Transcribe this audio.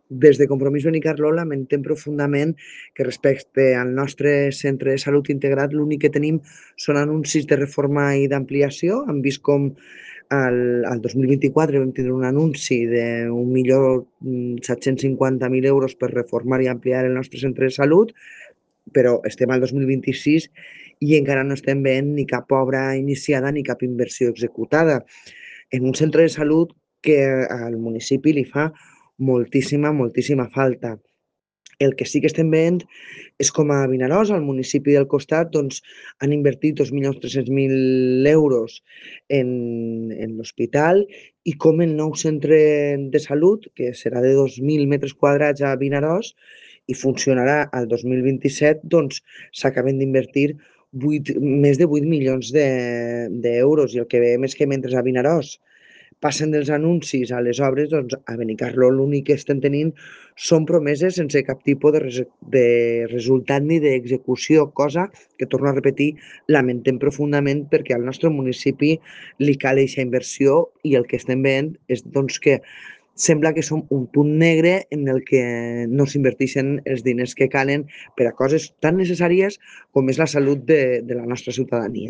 Des de Compromís Benicarló lamentem profundament que respecte al nostre centre de salut integrat l'únic que tenim són anuncis de reforma i d'ampliació. Hem vist com al 2024 vam tindre un anunci de 1.750.000 euros per reformar i ampliar el nostre centre de salut, però estem al 2026 i encara no estem veient ni cap obra iniciada ni cap inversió executada en un centre de salut que al municipi li fa moltíssima falta. El que sí que estem veient és com a Vinaròs, al municipi del costat, doncs, han invertit 2.300.000 euros en l'hospital i com el nou centre de salut, que serà de 2.000 metres quadrats a Vinaròs i funcionarà al 2027, doncs s'acaben d'invertir més de 8 milions d'euros. I el que veiem és que mentre a Vinaròs passen dels anuncis a les obres, doncs a Benicarló l'únic que estem tenint són promeses sense cap tipus de resultat ni d'execució, cosa que, torno a repetir, lamentem profundament perquè al nostre municipi li cal eixa inversió i el que estem veient és doncs, que sembla que som un punt negre en el que no s'inverteixen els diners que calen per a coses tan necessàries com és la salut de la nostra ciutadania.